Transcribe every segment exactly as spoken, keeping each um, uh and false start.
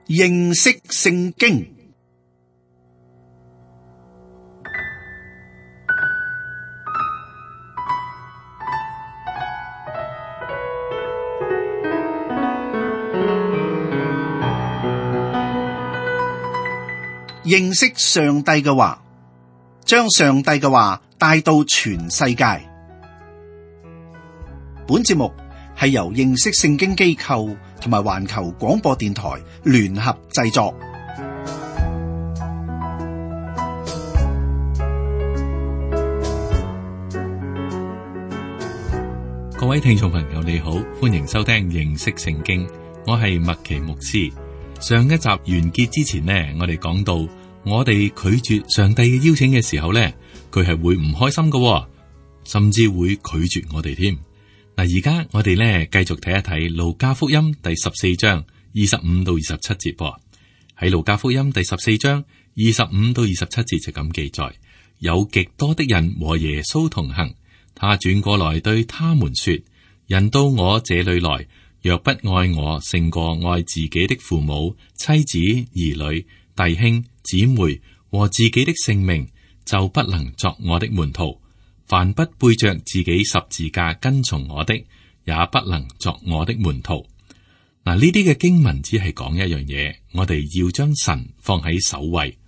認識聖經。認識上帝嘅話，將上帝嘅話帶到全世界。本節目係由認識聖經機構同埋環球廣播電台聯合製作。各位聽眾朋友，你好，歡迎收聽認識聖經，我係麥奇牧師。上一集完結之前呢，我哋講到我哋拒絕上帝嘅邀請嘅時候呢，佢係會唔開心嘅，甚至會拒絕我哋添。嗱，而家我哋呢繼續睇一睇路加福音第十四章二十五到二十七節。喺路加福音第十四章二十五到二十七節就咁記載：有極多的人和耶穌同行，他轉過來對他們說：人到我這裏來，若不愛我勝過愛自己的父母、妻子、兒女、弟兄、姊妹和自己的性命，就不能作我的門徒。凡不背着自己十字架跟從我的，也不能作我的門徒。嗱，呢啲嘅經文只係講一樣嘢，我哋要將神放喺首位。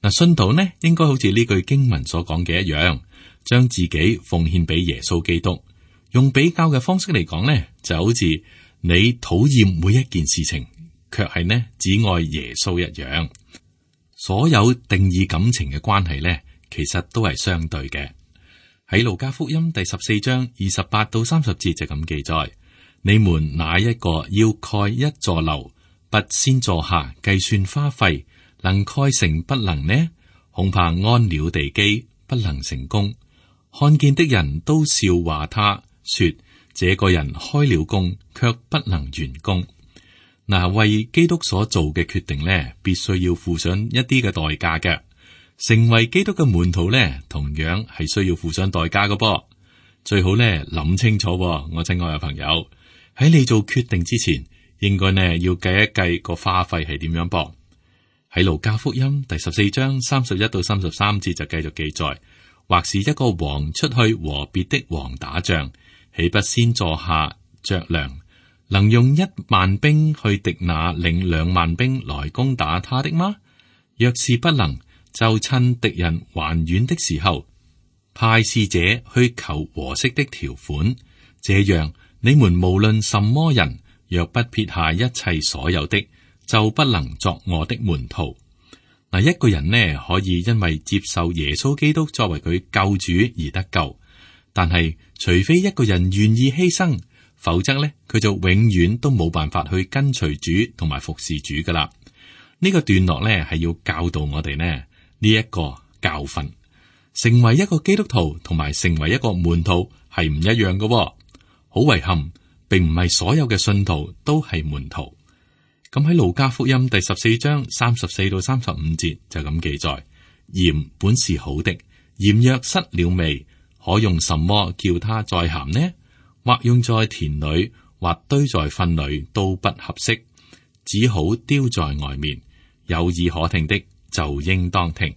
嗱，信徒呢應該好似呢句經文所講嘅一樣，將自己奉獻俾耶穌基督。用比較嘅方式嚟講呢，就好似你討厭每一件事情，卻係呢只愛耶穌一樣。所有定義感情嘅關係呢，其實都係相對嘅。喺路加福音第十四章二十八到三十節就咁記載：你們哪一個要蓋一座樓，不先坐下計算花費，能蓋成不能呢？恐怕安了地基，不能成功。看見的人都笑話他，說：這個人開了工，卻不能完工。嗱，為基督所做嘅決定呢，必須要付上一啲嘅代價嘅。成為基督嘅門徒呢，同樣係需要付上代價嘅噃。最好呢諗清楚，我親愛嘅朋友，喺你做決定之前，應該呢要計一計個花費係點樣噃。喺路加福音第十四章三十一到三十三節就繼續記載：或是一個王出去和別的王打仗，豈不先坐下酌量，能用一萬兵去敵那領兩萬兵來攻打他的嗎？若是不能，就趁敵人還遠的時候，派使者去求和息的條款。這樣，你們無論什麼人，若不撇下一切所有的，就不能作我的門徒。嗱，一個人呢可以因為接受耶穌基督作為佢救主而得救，但係除非一個人願意犧牲，否則呢佢就永遠都冇辦法去跟隨主同埋服侍主噶啦。呢個段落呢係要教導我哋呢。呢一個教訓，成為一個基督徒同埋成為一個門徒係唔一樣嘅。好遺憾，並唔係所有嘅信徒都係門徒。咁喺路加福音第十四章三十四到三十五節就咁記載：鹽本是好的，鹽若失了味，可用什麼叫它再鹹呢？或用在田裏，或堆在糞裏，都不合適，只好丟在外面。有耳可聽的就應當聽。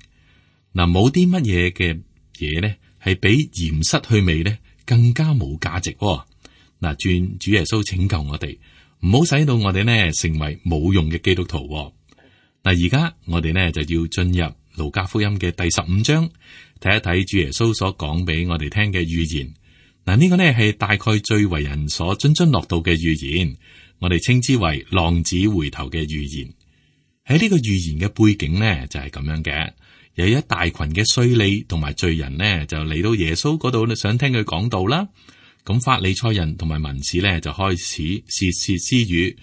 嗱，冇啲乜嘢嘅嘢呢，係比鹽失去味呢更加冇價值。嗱，願主耶穌拯救我哋，唔好使到我哋呢成為冇用嘅基督徒。嗱，而家我哋呢就要進入路加福音嘅第十五章，睇一睇主耶穌所講俾我哋聽嘅預言。嗱，呢個呢係大概最為人所津津樂道嘅預言，我哋稱之為浪子回頭嘅預言。喺呢個預言嘅背景呢，就係咁樣嘅，有一大群嘅稅吏同埋罪人呢，就嚟到耶穌嗰度想聽佢講道啦。咁法利賽人同埋文士呢，就開始竊竊私語，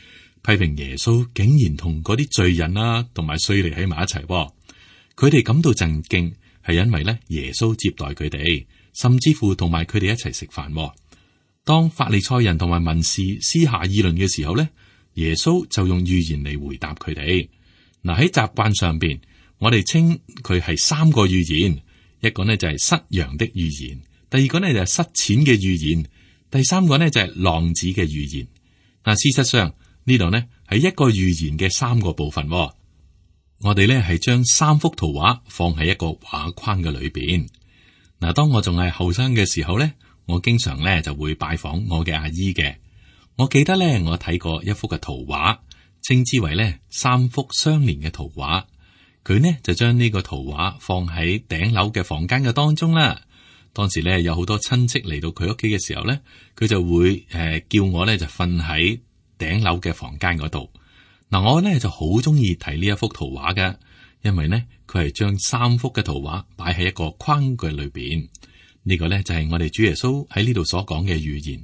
批評耶穌竟然同嗰啲罪人啊同埋稅吏喺埋一齊。佢哋感到震驚，係因為呢耶穌接待佢哋，甚至乎同埋佢哋一齊食飯。當法利賽人同埋文士私下議論嘅時候呢，耶穌就用預言嚟回答佢哋。嗱，喺習慣上邊，我哋稱佢係三個預言，一個呢就係失羊的預言，第二個呢就係失錢嘅預言，第三個呢就係浪子嘅預言。嗱，事實上呢度呢係一個預言嘅三個部分。我哋咧係將三幅圖畫放喺一個畫框嘅裏邊。嗱，當我仲係後生嘅時候咧，我經常咧就會拜訪我嘅阿姨嘅。我記得咧，我睇過一幅嘅圖畫，稱之為咧三幅相連嘅圖畫。佢呢就將呢個圖畫放喺頂樓嘅房間嘅當中啦。當時咧有好多親戚嚟到佢屋企嘅時候咧，佢就會誒、呃、叫我咧就瞓喺頂樓嘅房間嗰度。嗱，我咧就好中意睇呢一幅圖畫嘅，因為呢，佢係將三幅嘅圖畫擺喺一個框嘅裏邊。呢、這個咧就係我哋主耶穌喺呢度所講嘅預言。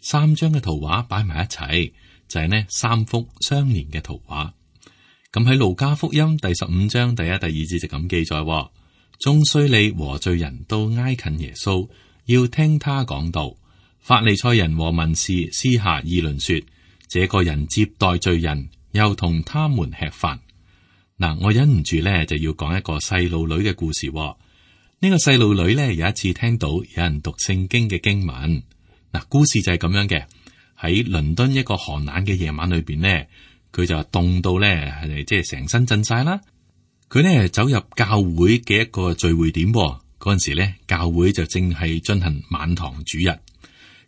三張嘅圖畫擺埋一齊，就係、是、呢三幅相連嘅圖畫。咁喺路加福音第十五章第一、第二節就咁記載：眾稅吏和罪人都挨近耶穌，要聽他講道。法利賽人和文士私下議論說：這個人接待罪人，又同他們吃飯。嗱，我忍唔住咧就要講一個細路女嘅故事。呢、這個細路女咧有一次聽到有人讀聖經嘅經文。嗱，故事就係咁樣嘅。喺倫敦一個寒冷嘅夜晚裏邊呢，佢就凍到咧係即係成身震晒啦。佢呢走入教會嘅一個聚會點，嗰陣時咧教會就正係進行晚堂主日。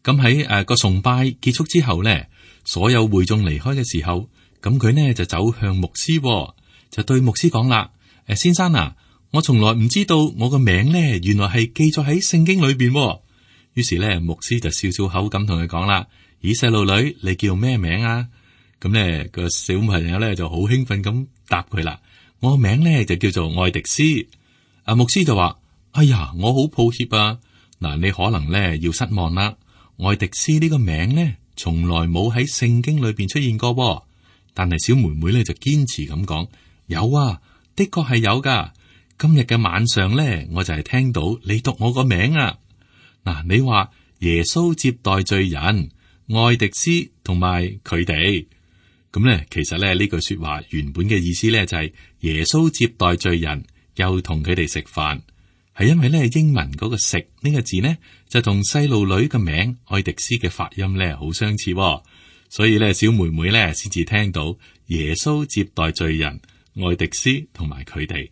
咁喺誒個崇拜結束之後咧，所有會眾離開嘅時候，咁佢呢就走向牧師，就對牧師講啦：誒，先生啊，我從來唔知道我個名咧原來係記咗喺聖經裏邊。於是咧，牧師就笑笑口咁同佢講啦：咦，細路女，你叫咩名啊？咁咧個小朋友咧就好興奮咁答佢啦：我個名咧就叫做愛迪斯。阿牧師就話：哎呀，我好抱歉啊，嗱，你可能咧要失望啦。愛迪斯呢個名咧從來冇喺聖經裏邊出現過，但係小妹妹咧就堅持咁講：有啊，的確係有噶。今日嘅晚上咧，我就係聽到你讀我個名啊。嗱，你話耶穌接待罪人，愛迪斯同埋佢哋，咁咧其實咧呢句說話原本嘅意思咧就係耶穌接待罪人，又同佢哋食飯，係因為咧英文嗰個食呢個字呢，就同細路女嘅名愛迪斯嘅發音咧好相似，所以咧小妹妹咧先至聽到耶穌接待罪人，愛迪斯同埋佢哋。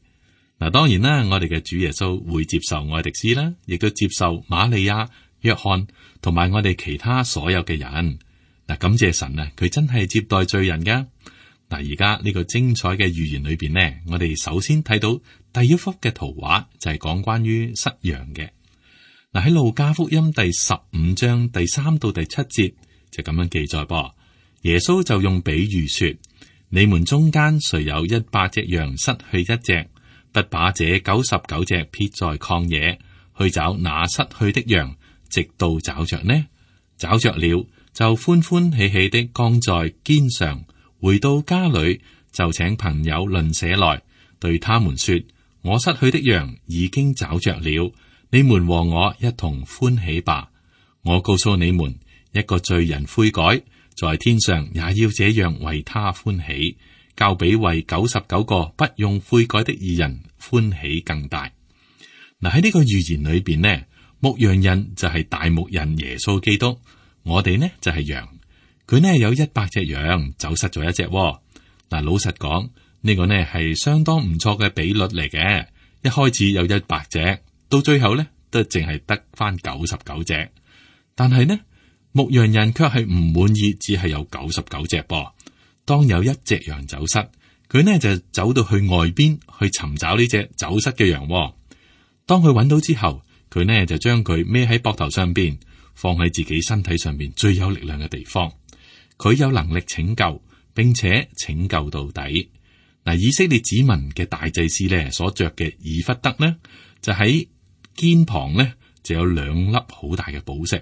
嗱，當然啦，我哋嘅主耶穌會接受愛迪斯啦，亦都接受瑪利亞、約翰同埋我哋其他所有嘅人。嗱，感謝神啊，佢真係接待罪人噶。嗱，而家呢個精彩嘅預言裏邊呢，我哋首先睇到第一幅嘅圖畫就係講關於失羊嘅。嗱，喺路加福音第十五章第三到第七節就咁樣記載噃。耶穌就用比喻說：你們中間誰有一百隻羊失去一隻，不把這九十九隻撇在曠野，去找那失去的羊，直到找着呢？找着了，就歡歡喜喜的扛在肩上，回到家裏，就請朋友鄰舍來，對他們說：我失去的羊已經找着了，你們和我一同歡喜吧。我告訴你們，一個罪人悔改，在天上也要這樣為他歡喜，較比為九十九個不用悔改的義人歡喜更大。嗱，喺呢個預言裏邊呢，牧羊人就係大牧人耶穌基督，我哋呢就係羊。佢呢有一百隻羊，走失咗一隻。嗱，老實講，呢個呢係相當唔錯嘅比率嚟嘅。一開始有一百隻，到最後呢都淨係得翻九十九隻。但係呢，牧羊人卻係唔滿意，只係有九十九隻噃。當有一隻羊走失，佢呢就走到去外邊去尋找呢隻走失嘅羊。當佢揾到之後，佢呢就將佢孭喺膊頭上邊，放喺自己身體上邊最有力量嘅地方。佢有能力拯救，並且拯救到底。嗱，以色列子民嘅大祭司呢所着嘅以弗得呢，就喺肩旁呢就有兩粒好大嘅寶石。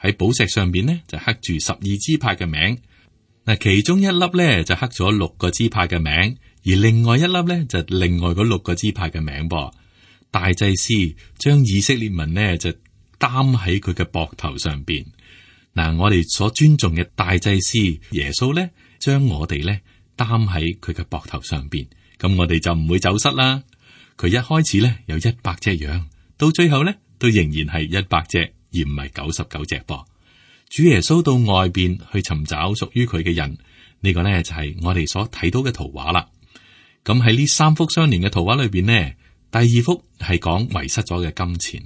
喺寶石上邊呢就刻住十二支派嘅名。嗱，其中一粒咧就刻咗六個支派嘅名，而另外一粒咧就另外嗰六個支派嘅名噃。大祭司將以色列民呢就擔喺佢嘅膊頭上邊。嗱，我哋所尊重嘅大祭司耶穌咧，將我哋咧擔喺佢嘅膊頭上邊，咁我哋就唔會走失啦。佢一開始咧有一百隻羊，到最後咧都仍然係一百隻，而唔係九十九隻噃。主耶穌到外邊去尋找屬於佢嘅人，呢個呢，就係我哋所睇到嘅圖畫啦。咁喺呢三幅相連嘅圖畫裏邊呢，第二幅係講遺失咗嘅金錢。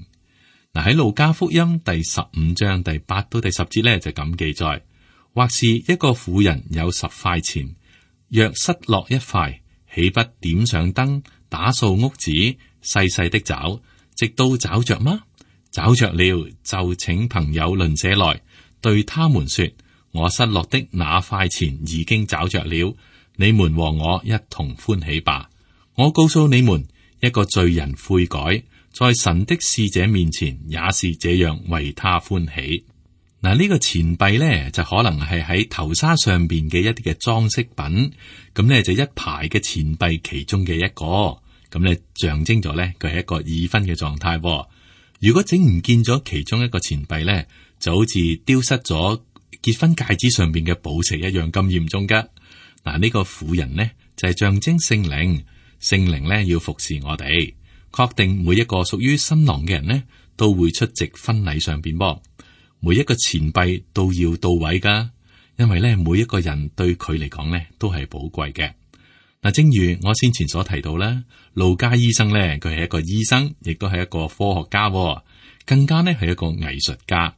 嗱，喺路加福音第十五章第八到第十節呢，就咁記載，或是一個婦人有十塊錢，若失落一塊，豈不點上燈，打掃屋子，細細的找，直到找着嗎？找着了，就請朋友鄰舍來，對他們說：我失落的那塊錢已經找着了，你們和我一同歡喜吧。我告訴你們，一個罪人悔改，在神的使者面前也是這樣為他歡喜。嗱，呢個錢幣咧就可能係喺頭紗上邊嘅一啲嘅裝飾品，咁咧就一排嘅錢幣其中嘅一個，咁咧象徵咗咧佢係一個已婚嘅狀態。如果整唔見咗其中一個錢幣咧，就好似丟失咗結婚戒指上邊嘅寶石一樣咁嚴重噶。嗱，呢個婦人呢，就係象徵聖靈，聖靈咧要服侍我哋。確定每一個屬於新郎嘅人呢，都會出席婚禮上邊噃。每一個錢幣都要到位噶，因為咧每一個人對佢嚟講咧都係寶貴嘅。嗱，正如我先前所提到啦，路加醫生咧佢係一個醫生，亦都係一個科學家，更加呢係一個藝術家。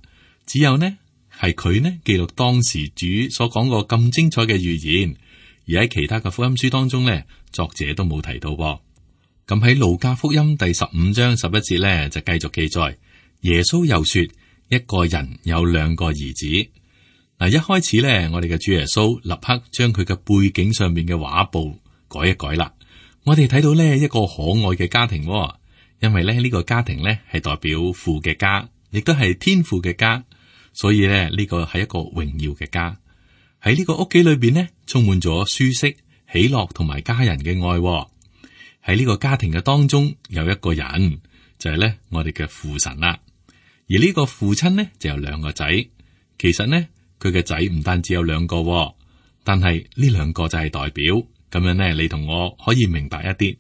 只有呢係佢呢記錄當時主所講過咁精彩嘅預言，而喺其他嘅福音書當中咧，作者都冇提到噃。咁喺路加福音第十五章十一節咧，就繼續記載，耶穌又說，一個人有兩個兒子。嗱，一開始咧，我哋嘅主耶穌立刻將佢嘅背景上面嘅畫布改一改啦。我哋睇到呢一個可愛嘅家庭，因為咧呢個家庭咧係代表父嘅家，亦都係天父嘅家，所以咧呢個係一個榮耀嘅家。喺呢個屋企裏邊呢，充滿咗舒適、喜樂同埋家人嘅愛。喺呢個家庭嘅當中有一個人就係咧我哋嘅父神啦，而呢個父親呢就有兩個仔。其實呢佢嘅仔唔單止有兩個，但係呢兩個就係代表咁樣呢，你同我可以明白一啲。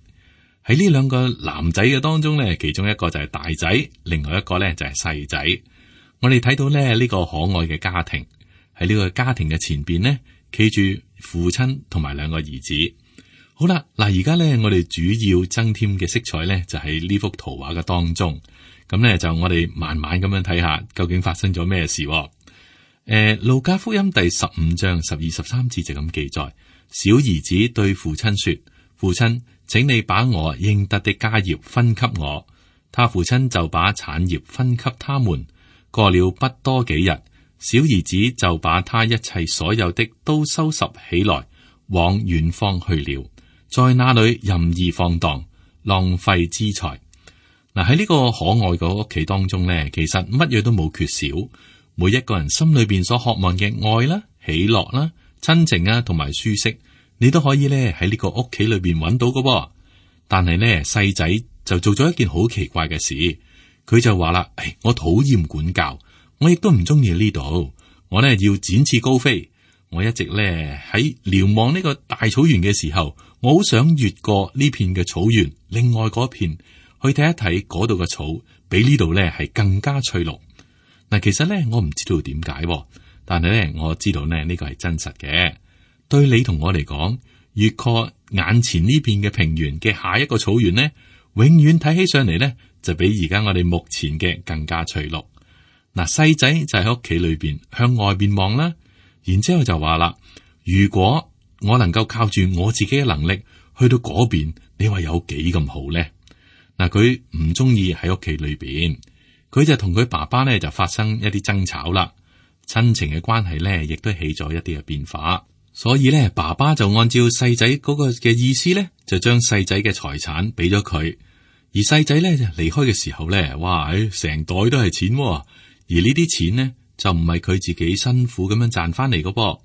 喺呢兩個男仔嘅當中呢，其中一個就係大仔，另外一個呢就係細仔。我哋睇到咧呢個可愛嘅家庭，喺呢個家庭嘅前邊呢，企住父親同埋兩個兒子。好啦，嗱，而家咧，我哋主要增添嘅色彩咧，就喺呢幅圖畫嘅當中。咁咧，就我哋慢慢咁樣睇下，究竟發生咗咩事？誒、呃，路加福音第十五章十二十三節就咁記載：小兒子對父親說，父親，請你把我應得的家業分給我。他父親就把產業分給他們。過了不多幾日，小兒子就把他一切所有的都收拾起來，往遠方去了。在那裏任意放蕩，浪費資財。嗱，喺呢個可愛嘅屋企當中呢，其實乜嘢都冇缺少。每一個人心裏邊所渴望嘅愛啦、喜樂啦、親情啊，同埋舒適，你都可以咧喺呢個屋企裏邊揾到嘅。但係呢，細仔就做咗一件好奇怪嘅事，佢就話啦：，誒，我討厭管教，我亦都唔中意呢度，我呢要展翅高飛。我一直咧喺瞭望呢個大草原嘅時候，我好想越過呢片嘅草原，另外嗰片去睇一睇嗰度嘅草，比呢度咧係更加翠綠。嗱，其實咧我唔知道點解，但係咧我知道咧呢個係真實嘅。對你同我嚟講，越過眼前呢片嘅平原嘅下一個草原呢，永遠睇起上嚟咧就比而家我哋目前嘅更加翠綠。嗱，細仔就喺屋企裏邊向外邊望啦。然之後就話啦，如果我能夠靠住我自己嘅能力去到嗰邊，你話有幾咁好咧？嗱，佢唔中意喺屋企裏邊，佢就同佢爸爸咧就發生一啲爭吵啦，親情嘅關係咧亦都起咗一啲嘅變化，所以咧爸爸就按照細仔嗰個嘅意思咧，就將細仔嘅財產俾咗佢，而細仔咧就離開嘅時候咧，哇，成袋都係錢，而呢啲錢呢，就唔係佢自己辛苦咁樣賺翻嚟嘅噃。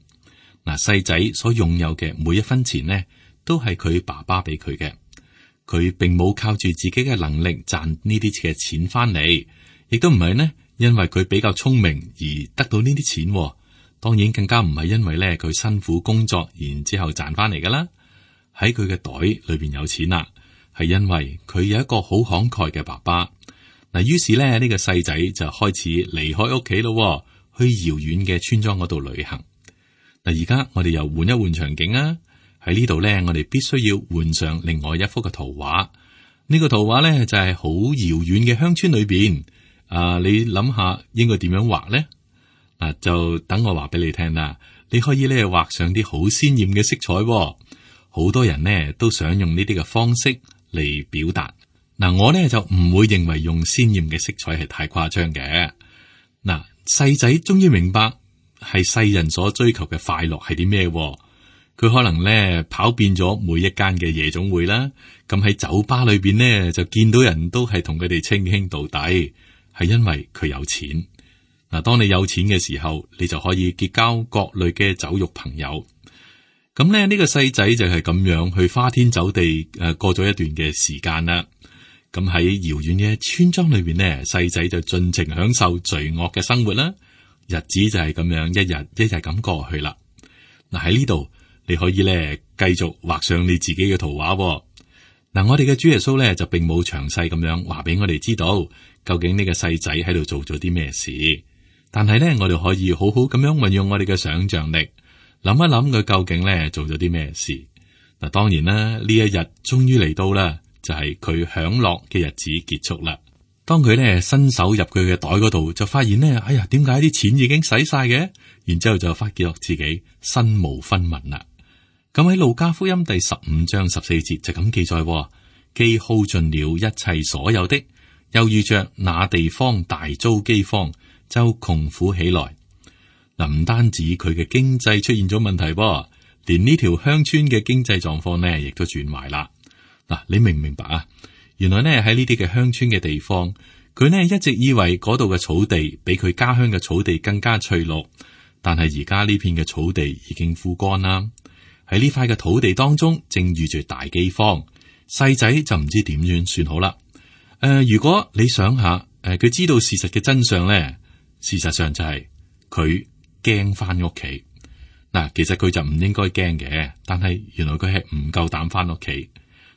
嗱，細仔所擁有嘅每一分錢呢，都係佢爸爸俾佢嘅。佢並冇靠住自己嘅能力賺呢啲嘅錢翻嚟，亦都唔係呢，因為佢比較聰明而得到呢啲錢。當然更加唔係因為咧佢辛苦工作然之後賺翻嚟噶啦。喺佢嘅袋裏邊有錢啦，係因為佢有一個好慷慨嘅爸爸。嗱，於是咧呢個細仔就開始離開屋企咯，去遙遠嘅村莊嗰度旅行。嗱，而家我哋又換一換場景啊！喺呢度咧，我哋必須要換上另外一幅嘅圖畫。呢個圖畫咧就係好遙遠嘅鄉村裏邊。啊，你諗下應該點樣畫咧？嗱，就等我話俾你聽啦。你可以咧畫上啲好鮮艷嘅色彩。好多人呢都想用呢啲嘅方式嚟表達。嗱，我咧就唔會認為用鮮艷嘅色彩係太誇張嘅。嗱，細仔終於明白係世人所追求嘅快樂係啲咩？佢可能咧跑遍咗每一間嘅夜總會啦，咁喺酒吧裏邊呢，就見到人都係同佢哋稱兄道弟，係因為佢有錢。嗱，當你有錢嘅時候，你就可以結交各類嘅酒肉朋友。咁咧呢個細仔就係咁樣去花天酒地誒過咗一段嘅時間啦。咁喺遙遠嘅村莊裏邊呢，細仔就盡情享受罪惡嘅生活啦。日子就係咁樣一日一日咁過去啦。嗱，喺呢度你可以咧繼續畫上你自己嘅圖畫。嗱，我哋嘅主耶穌咧就並冇詳細咁樣話俾我哋知道究竟呢個細仔喺度做咗啲咩事，但係咧我哋可以好好咁樣運用我哋嘅想象力，諗一諗佢究竟咧做咗啲咩事。嗱，當然啦，呢一日終於嚟到啦，就係佢享樂嘅日子結束啦。當佢咧伸手入佢嘅袋嗰度，就發現呢，哎呀，點解啲錢已經使晒嘅？然之後就發覺自己身無分文啦。咁喺路加福音第十五章十四節就咁記載，既耗盡了一切所有的，又遇着那地方大遭饑荒，就窮苦起來。嗱，唔單止佢嘅經濟出現咗問題噃，連呢條鄉村嘅經濟狀況呢，亦都轉壞啦。嗱，你明唔明白啊？原來呢喺呢啲嘅鄉村嘅地方，佢呢一直以為嗰度嘅草地比佢家鄉嘅草地更加翠綠，但係而家呢片嘅草地已經枯乾啦。喺呢塊嘅土地當中，正遇住大饑荒，細仔就唔知點樣算好啦。誒、呃，如果你想下，誒、呃，佢知道事實嘅真相咧，事實上就係佢驚翻屋企。嗱，其實佢就唔應該驚嘅，但係原來佢係唔夠膽翻屋企。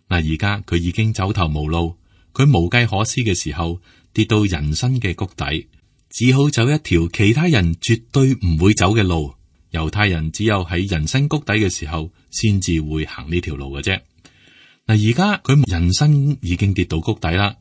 嗱，而家佢已經走投無路，佢無計可施嘅時候，跌到人生嘅谷底，只好走一條其他人絕對唔會走嘅路。猶太人只有喺人生谷底嘅時候，先至會行呢條路嘅啫。嗱，而家佢人生已經跌到谷底啦。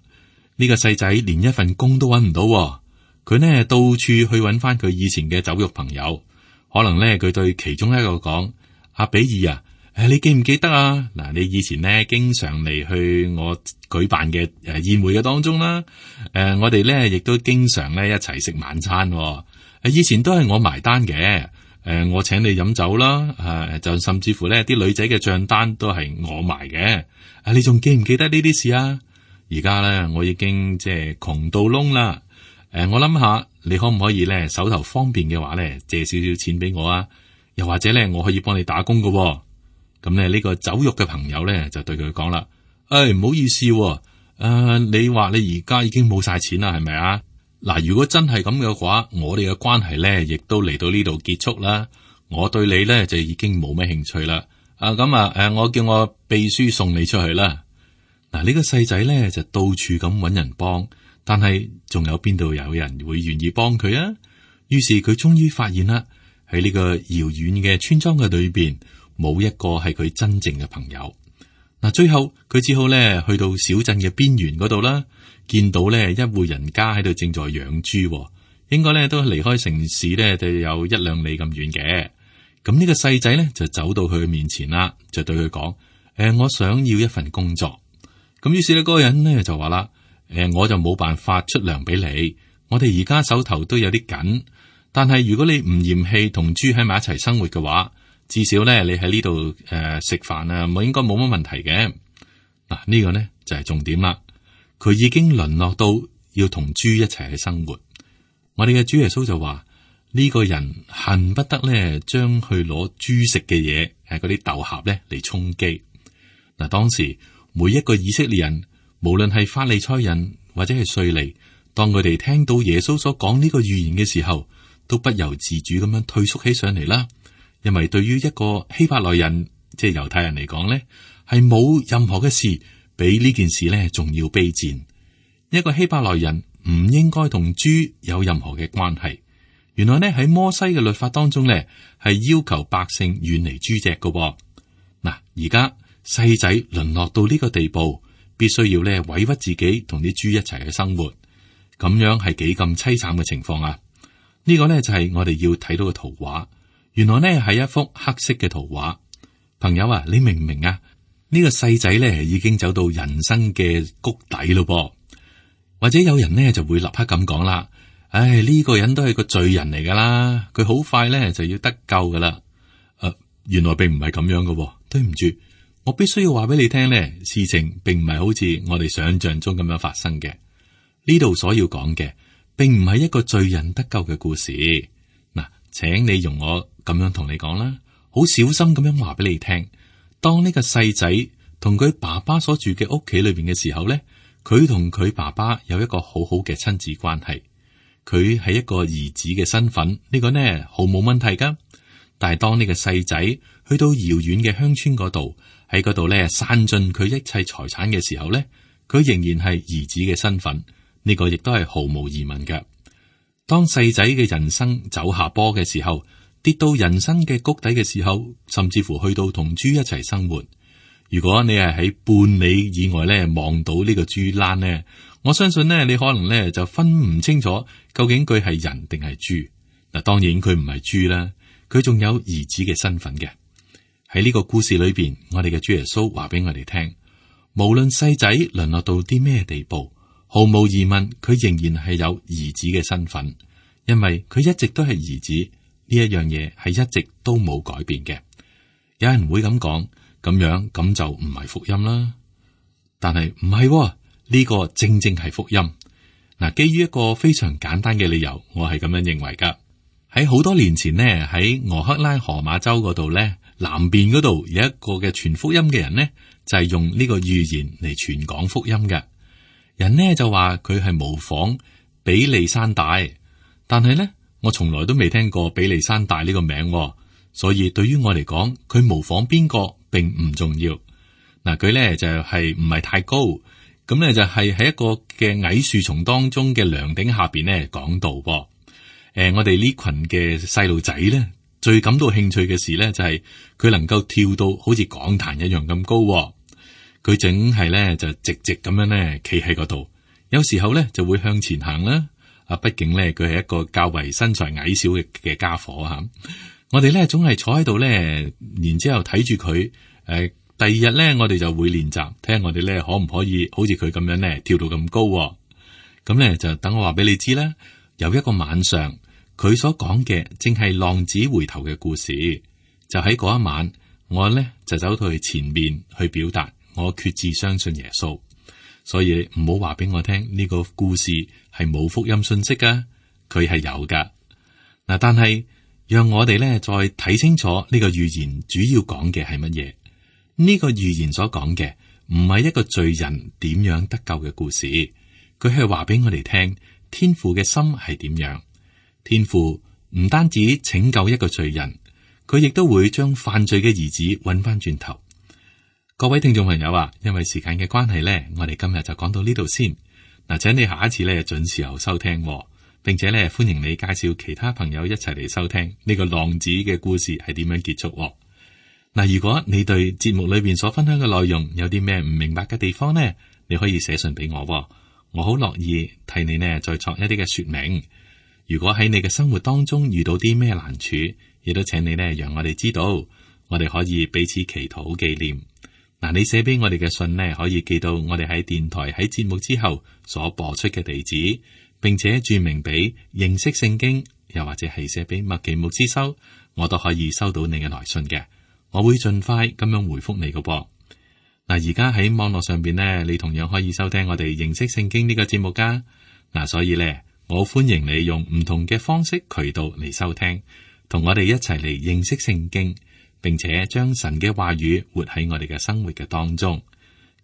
呢個細仔連一份工都揾唔到，佢呢到處去揾翻佢以前嘅酒肉朋友。可能呢，佢對其中一個講：阿比爾啊，誒，你記唔記得啊？嗱，你以前呢經常嚟去我舉辦嘅誒宴會嘅當中啦。誒，我哋呢亦都經常呢一齊食晚餐。誒，以前都係我埋單嘅。誒、呃，我請你飲酒啦，誒、啊，就甚至乎咧，啲女仔嘅賬單都係我埋嘅。啊，你仲記唔記得呢啲事啊？而家咧，我已經即係窮到窿啦。誒、呃，我諗下，你可唔可以咧手頭方便嘅話咧，借少少錢俾我啊？又或者咧，我可以幫你打工噶、哦。咁咧，呢個酒肉嘅朋友咧就對佢講啦：，誒、哎，唔好意思、哦，誒、呃，你話你而家已經冇晒錢啦，係咪啊？嗱，如果真係咁嘅話，我哋嘅關係咧，亦都嚟到呢度結束啦。我對你咧就已經冇咩興趣啦。啊，咁啊，誒，我叫我秘書送你出去啦。嗱，呢個細仔咧就到處咁搵人幫，但係仲有邊度有人會願意幫佢啊？於是佢終於發現啦，喺呢個遙遠嘅村莊嘅裏邊，冇一個係佢真正嘅朋友。嗱，最後佢只好咧去到小鎮嘅邊緣嗰度啦。見到咧一戶人家喺度正在養豬，應該咧都離開城市咧就有一兩里咁遠嘅。咁呢個細仔咧就走到佢面前啦，就對佢講：誒、呃，我想要一份工作。咁於是呢嗰個人咧就話啦：誒、呃，我就冇辦法出糧俾你，我哋而家手頭都有啲緊。但係如果你唔嫌棄同豬喺埋一齊生活嘅話，至少咧你喺呢度誒食飯啊，我應該冇乜問題嘅。嗱，呢個呢就係重點啦。佢已經淪落到要同豬一齊去生活。我哋嘅主耶穌就話：呢、這個人恨不得咧，將去攞豬食嘅嘢，誒，嗰啲豆莢咧嚟充飢。嗱，當時每一個以色列人，無論係法利賽人或者係稅吏，當佢哋聽到耶穌所講呢個預言嘅時候，都不由自主咁樣退縮起上嚟啦。因為對於一個希伯來人，即係猶太人嚟講咧，係冇任何嘅事。比呢件事咧仲要卑賤。一個希伯來人唔應該同豬有任何嘅關係，原來呢，喺摩西嘅律法當中呢，係要求百姓遠離豬隻嘅。嗱，而家細仔淪落到呢個地步，必須要呢委屈自己同啲豬一齊去生活，咁樣係幾咁淒慘嘅情況啊！呢個呢，就係我哋要睇到嘅圖畫。原來呢係一幅黑色嘅圖畫。朋友啊，你明唔明啊？呢個細仔呢已經走到人生嘅谷底咯噃。或者有人呢就會立刻咁講啦。唉，呢個人都係個罪人嚟噶啦，佢好快咧就要得救噶啦。誒、呃，原來並唔係咁樣噶、哦，對唔住，我必須要話俾你聽咧，事情並唔係好似我哋想象中咁樣發生嘅。呢度所要講嘅，並唔係一個罪人得救嘅故事。嗱，請你容我咁樣同你講啦，好小心咁樣話俾你聽。當呢個細仔同佢爸爸所住嘅屋企裏邊嘅時候咧，佢同佢爸爸有一個好好嘅親子關係。佢係一個兒子嘅身份，呢、這個呢毫無問題噶。但係當呢個細仔去到遙遠嘅鄉村嗰度，喺嗰度呢散盡佢一切財產嘅時候呢，佢仍然係兒子嘅身份，呢、這個亦都係毫無疑問嘅。當細仔嘅人生走下坡嘅時候，跌到人生嘅谷底嘅時候，甚至乎去到同豬一齊生活。如果你係喺半里以外呢望到呢個豬欄呢，我相信呢，你可能呢就分唔清楚究竟佢係人定係豬。嗱，當然佢唔係豬啦，佢仲有兒子嘅身份嘅。喺呢個故事裏邊，我哋嘅主耶穌話俾我哋聽，無論細仔淪落到啲咩地步，毫無疑問，佢仍然係有兒子嘅身份，因為佢一直都係兒子，呢一樣嘢係一直都冇改變嘅。有人會咁講。咁樣咁就唔係福音啦，但係唔係呢個正正係福音。嗱，基於一個非常簡單嘅理由，我係咁樣認為噶。喺好多年前呢，喺俄克拉荷馬州嗰度呢，南邊嗰度有一個嘅傳福音嘅人呢，就係用呢個預言嚟傳講福音嘅。人呢就話佢係模仿比利山大，但係呢，我從來都未聽過比利山大呢個名，所以對於我嚟講，佢模仿邊個並唔重要。嗱，佢咧就係唔係太高，咁咧就係喺一個嘅矮樹叢當中嘅涼頂下邊咧講道噃。誒、呃，我哋呢群嘅細路仔咧，最感到興趣嘅事咧就係佢能夠跳到好似講壇一樣咁高。佢淨係咧就直直咁樣咧企喺嗰度，有時候咧就會向前行啦。啊，畢竟咧佢係一個較為身材矮小嘅嘅家伙吓。我哋咧總係坐喺度咧，然之後睇住佢。誒、呃，第二日咧，我哋就會練習，睇下我哋咧可唔可以好似佢咁樣咧跳到咁高、哦。咁咧就等我話俾你知啦。有一個晚上，佢所講嘅正係浪子回頭嘅故事。就喺嗰一晚，我咧就走到去前面去表達我決志相信耶穌。所以唔好話俾我聽呢、這個故事係冇福音信息噶，佢係有噶。嗱，但係。讓我哋咧再睇清楚呢個預言主要講嘅係乜嘢？呢個預言所講嘅唔係一個罪人點樣得救嘅故事，佢係話俾我哋聽天父嘅心係點樣。天父唔單止拯救一個罪人，佢亦都會將犯罪嘅兒子揾翻轉頭。各位聽眾朋友啊，因為時間嘅關係咧，我哋今日就講到呢度先。嗱，請你下一次咧準時候收聽。並且咧，歡迎你介紹其他朋友一齊嚟收聽呢個浪子嘅故事係點樣結束。嗱，如果你對節目裏邊所分享嘅內容有啲咩唔明白嘅地方呢，你可以寫信俾我，我好樂意替你呢再作一啲嘅說明。如果喺你嘅生活當中遇到啲咩難處，亦都請你呢讓我哋知道，我哋可以彼此祈禱紀念。嗱，你寫俾我哋嘅信呢，可以寄到我哋喺電台喺節目之後所播出嘅地址。並且注明俾認識聖經，又或者係寫俾麥奇牧師收，我都可以收到你嘅來信嘅。我會盡快咁樣回覆你嘅噃。嗱，而家喺網絡上邊呢，你同樣可以收聽我哋認識聖經呢個節目噶。嗱，所以呢，我歡迎你用唔同嘅方式渠道嚟收聽，同我哋一齊嚟認識聖經，並且將神嘅話語活喺我哋嘅生活嘅當中。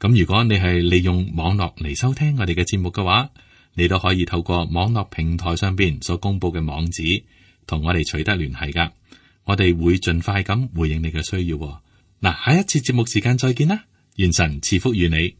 咁如果你係利用網絡嚟收聽我哋嘅節目嘅話，你都可以透過網絡平台上邊所公布嘅網址，同我哋取得聯繫噶。我哋會盡快咁回應你嘅需要。嗱，下一次節目時間再見啦，願神賜福於你。